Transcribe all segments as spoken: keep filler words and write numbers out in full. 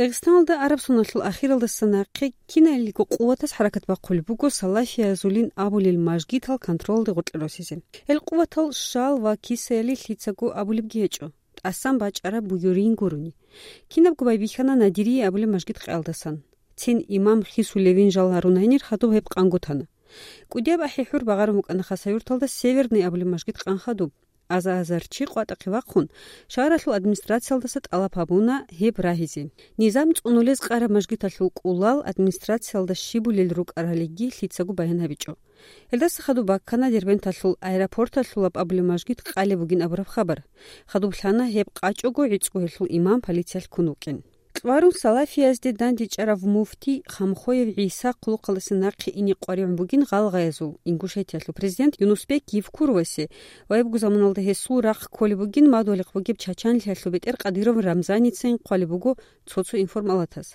Дагъистаналда араб соналъул ахиралдаса нахъе киналго къуватаз хӀаракат бахъулеб буго салафиязулин абулел мажгитал контролде гъоркье росизе. Гьел къуватал шал ва кисаялил лъицаго абулебги гьечӀо, тӀасан бачӀараб буюрин гурони. Кинабго байбихьана Надирие абулеб мажгит къаялдасан. Цин имам хисулевин жал гьарун гьанир хадуб гьеб къангутана. КӀудияб ахӀи-хӀур багъарун букӀана Хасавюрталда Северный абулеб мажгит къан хадуб. Аза-азар чи къватӀахъе вахъун, шагьаралъул администрациялдаса тӀалаб гьабуна гьеб рагьизе. Низам цӀунулез къараб мажгиталъул кӀулал администрациялда щибулел рукӀаралиги лъицаго баян гьабичӀо. Гьелдаса хадуб баккана Дербенталъул аэропорталъулаб абулеб мажгит къалеб бугин абураб хабар. Хадуб лъана гьеб къачӀого гӀицӀго гьелъул имам полициялъ ккун вукӀин. Кьварун салафиязде дандечӀарав муфти Хамхоев ГӀиса хъулухъалдаса нахъе ине къваригӀун бугин гъалгъаязул, Ингушетиялъул президент Юнусбек Евкуровасе ва гьебго заманалда гьесул рахъ кколеб бугин мадугьалихъ бугеб Чачанлъиялъул бетӀер Къадиров Рамзаницайин хъвалеб буго цо-цо информалатас.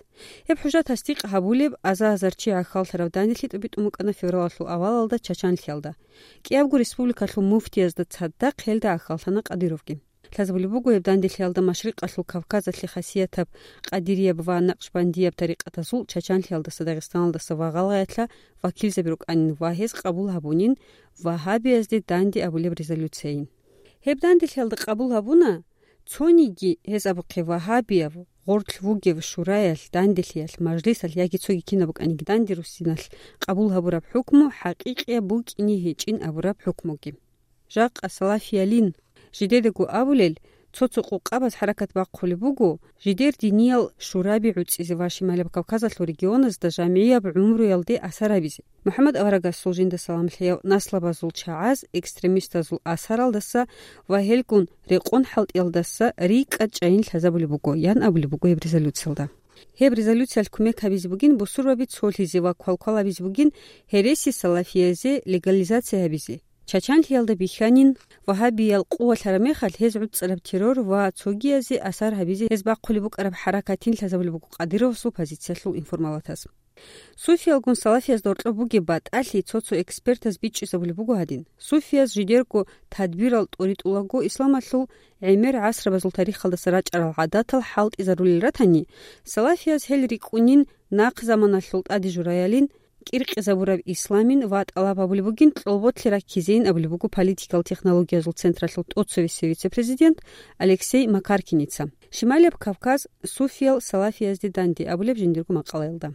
Гьеб хӀужа тасдикъ гьабулеб аза-азар чи гӀахьаллъараб данделъи тӀубитӀун букӀана февралалъул авалалда Чачанлъиялда. КӀиябго республикалъул муфтиязда цадахъ гьелда гӀахьаллъана Къадировги. Лъазабулеб буго, гьеб данделъиялда Машрикъалъул Кавказалъе хасиятаб къадирияб ва накъшбандияб тарикъатазул Чачанлъиялдаса, Дагъистаналдаса ва гъалгъаялъа вакилзаби рукӀанин ва гьез къабул гьабунин вагьабиязде данде абулеб резолюцияйин. Гьеб данделъиялда къабул гьабуна, цониги гьез абухъе вагьабияв, гъорлъ вугев шураялъ, данделъиялъ, мажлисалъ яги цоги кинаб букӀаниги данде руссиналъ къабул гьабураб хӀукму хӀакъикъияб букӀине гьечӀин абураб хӀукмуги. Жакъа салафиялин жидедаго абулел, цо-цо къукъабаз хӀаракат бахъулеб буго жидер диниял шураби гӀуцӀизе ва Шималаб Кавказалъул регионазда жамгӀияб гӀумруялде асар гьабизе. МухӀаммад аварагасул жинда салам лъеяв наслабазул чагӀаз экстремистазул асаралдаса ва гьелгун рекъон хӀалтӀиялдаса рикӀкӀад чӀайин лъазабулеб буго, ян абулеб буго гьеб резолюциялда. Гьеб резолюциялъ кумек гьабизе бугин бусурбаби цолъизе ва квалквал гьабизе бугин гьереси салафиязе легализация гьабизе. Чачанлъиялда бихьанин, вагьабиял къувалъараб мехалъ гьез гӀуцӀараб террор ва цогиязе асар гьабизе гьез бахъулеб букӀараб хӀаракатин лъазабулеб буго Къадировасул позициялъул информалатас. Суфиялгун салафиязда гьоркьоб бугеб батӀалъи цо-цо экспертаз бичӀчӀизабулеб буго гьадин: суфияз жидерго тадбирал тӀуритӀулаго исламалъул гӀемер гӀасрабазул тарихалдаса рачӀарал гӀадатал хӀалтӀизарулел ратани, салафияз гьел рикӀкӀунин нахъ заманалъул тӀаде жураялин, кӀиркъизабураб исламин ва тӀалаб гьабулеб бугин кьолболъи раккизейин абулеб буго политикал технологиязул централъул тӀоцевесев вице-президент Алексей Макаркиница. Шималияб Кавказ суфиял салафиязде данде абулеб жиндирго макъалаялда.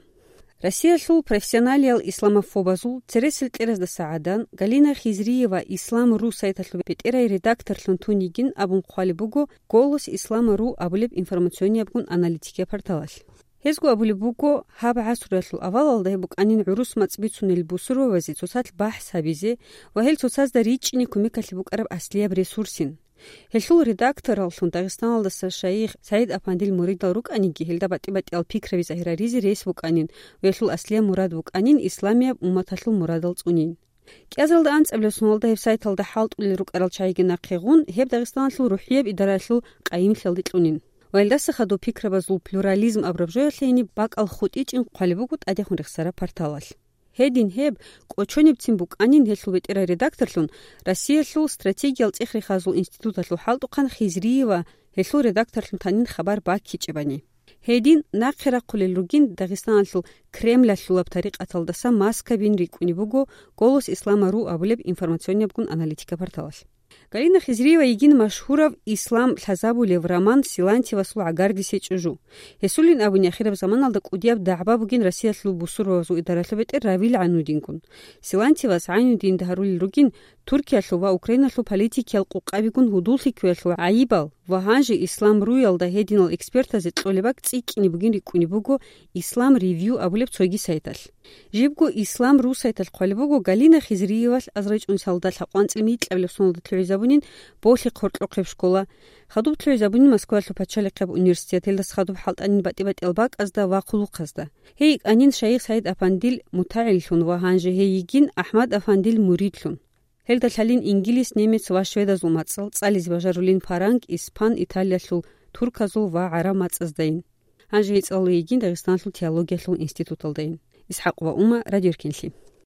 Россиялъул профессионалиял исламофобазул цересел кьераздаса гӀадан Галина Хизриева Ислам.ру сайталъул бетӀерай редакторлъун тун йигин абун хъвалеб буго Голос Ислама.ру абулеб информациониябгун аналитикияб порталалъ. Гьезго абулеб буго, гьаб гӀасруялъул авалалда гьеб букӀанин гӀурус мацӀ бицунел бусурбабазе цоцалъ бахӀс гьабизе ва гьел цоцазда ричӀчӀине кумекалъе букӀараб аслияб ресурсин. Гьелъул редактораллъун Дагъистаналдаса шайих СагӀид-апандил муридал рукӀаниги, гьелда батӀи-батӀиял пикраби загьираризе рес букӀанин ва гьелъул аслияб мурад букӀанин исламияб умматалъул мурадал цӀунин. КӀиазалда анцӀабилеб соналда гьеб сайталда хӀалтӀулел рукӀарал чагӀиги нахъе гъун, гьеб Дагъистаналъул рухӀияб идаралъул къайимлъиялде кьунин. Ва гьелдаса хадуб пикрабазул плюрализм абураб жоялъе гьениб бакӀал хутӀичӀин хъвалеб буго тӀадехун рехсараб порталалъ. Гьедин гьеб кӀочонибцин букӀанин гьелъул бетӀерай редакторлъун Россиялъул стратегиял цӀех-рехазул институталъул хӀалтӀухъан Хизриева гьелъул редакторлъун танин хабар баккичӀебани. Гьедин нахъе рахъулел ругин Дагъистаналъул Кремлалъулаб тарикъаталдаса маскабин рикӀкӀунеб буго Голос Ислама.ру абулеб информациониябгун аналитика порталалъ. Галина Хизриева йигин машгьурав ислам лъазабулев роман Силантьевасул гӀагардисе чӀужу. Гьесулин абуни ахираб заманалда кӀудияб дагӀба бугин Россиялъул бусурбабазул идаралъул бетӀер Равил ГӀайнудингун. Силантьевас ГӀайнудинда гьарулел ругин Туркиялъул ва Украиналъул политикиял къукъабигун гьудуллъи кквеялъул гӀайибал ва гьанже Ислам.ру-ялда гьединал экспертазе кьолеб бакӀ цӀикӀкӀине бугин рикӀкӀунеб буго Ислам Ревью абулеб цоги сайталъ. Жибго Ислам.ру сайталъ хъвалеб буго Галина Хизриевалъ азаричӀунсалда лъабкъанцӀил микьабилеб соналда лъугӀизабунин Болъихъ гьоркьохъеб школа, хадуб лъугӀизабунин Москваялъул пачалихъеб университет, гьелдаса хадуб хӀалтӀанин батӀи-батӀиял бакӀазда ва хъулухъазда. Гьей йикӀанин шайих СагӀид-апандил мутагӀиллъун ва гьанже гьей йигин АхӀмад-афандил муридлъун. Гьелда лъалин ингилис, немец ва шведазул мацӀал цӀализе бажарулин фаранг, испан, Италиялъул турказул ва гӀараб мацӀаздайин. Гьанже гьей цӀалулей йигин Дагъистаналъул теологиялъул институталдайин. ИсхӀакъ ва Ума, Радио Эркенлъи.